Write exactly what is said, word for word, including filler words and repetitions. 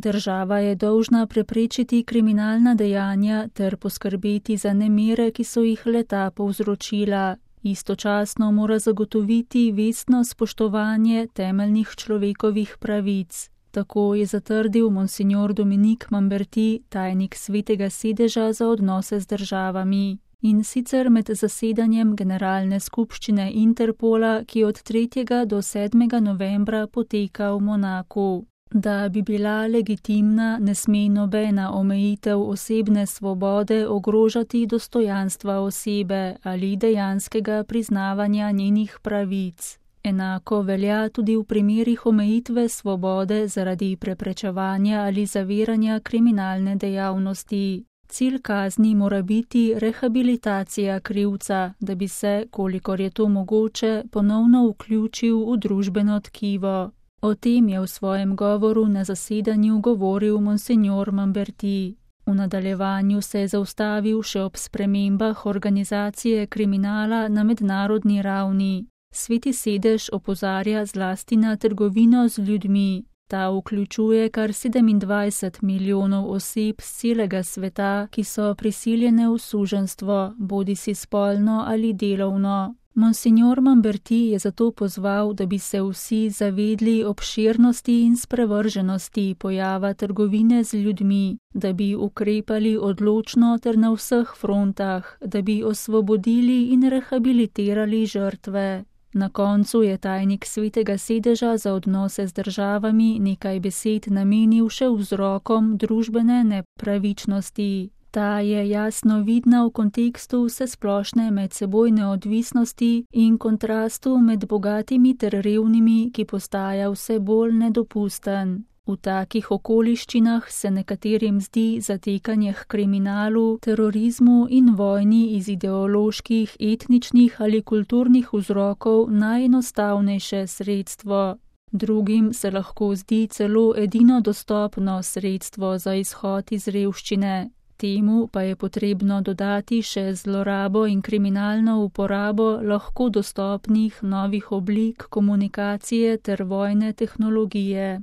Država je dolžna preprečiti kriminalna dejanja ter poskrbeti za nemire, ki so jih leta povzročila. Istočasno mora zagotoviti vestno spoštovanje temeljnih človekovih pravic. Tako je zatrdil monsignor Dominique Mamberti, tajnik Svetega sedeža za odnose z državami. In sicer med zasedanjem Generalne skupščine Interpola, ki od tretjega do sedmega novembra poteka v Monaku. Da bi bila legitimna, ne sme nobena omejitev osebne svobode ogrožati dostojanstva osebe ali dejanskega priznavanja njenih pravic. Enako velja tudi v primerih omejitve svobode zaradi preprečevanja ali zaviranja kriminalne dejavnosti. Cilj kazni mora biti rehabilitacija krivca, da bi se, kolikor je to mogoče, ponovno vključil v družbeno tkivo. O tem je v svojem govoru na zasedanju govoril monsignor Mamberti. V nadaljevanju se je zaustavil še ob spremembah organizacije kriminala na mednarodni ravni. Sveti sedež opozarja zlasti na trgovino z ljudmi. Ta vključuje kar sedemindvajset milijonov oseb z celega sveta, ki so prisiljene v suženjstvo, bodisi spolno ali delovno. Monsignor Mamberti je zato pozval, da bi se vsi zavedli obširnosti in sprevrženosti pojava trgovine z ljudmi, da bi ukrepali odločno ter na vseh frontah, da bi osvobodili in rehabilitirali žrtve. Na koncu je tajnik Svetega sedeža za odnose z državami nekaj besed namenil še vzrokom družbene nepravičnosti. Ta je jasno vidna v kontekstu vsesplošne medsebojne odvisnosti in kontrastu med bogatimi ter revnimi, ki postaja vse bolj nedopusten. V takih okoliščinah se nekaterim zdi zatekanje k kriminalu, terorizmu in vojni iz ideoloških, etničnih ali kulturnih vzrokov najenostavnejše sredstvo. Drugim se lahko zdi celo edino dostopno sredstvo za izhod iz revščine. Temu pa je potrebno dodati še zlorabo in kriminalno uporabo lahko dostopnih novih oblik komunikacije ter vojne tehnologije.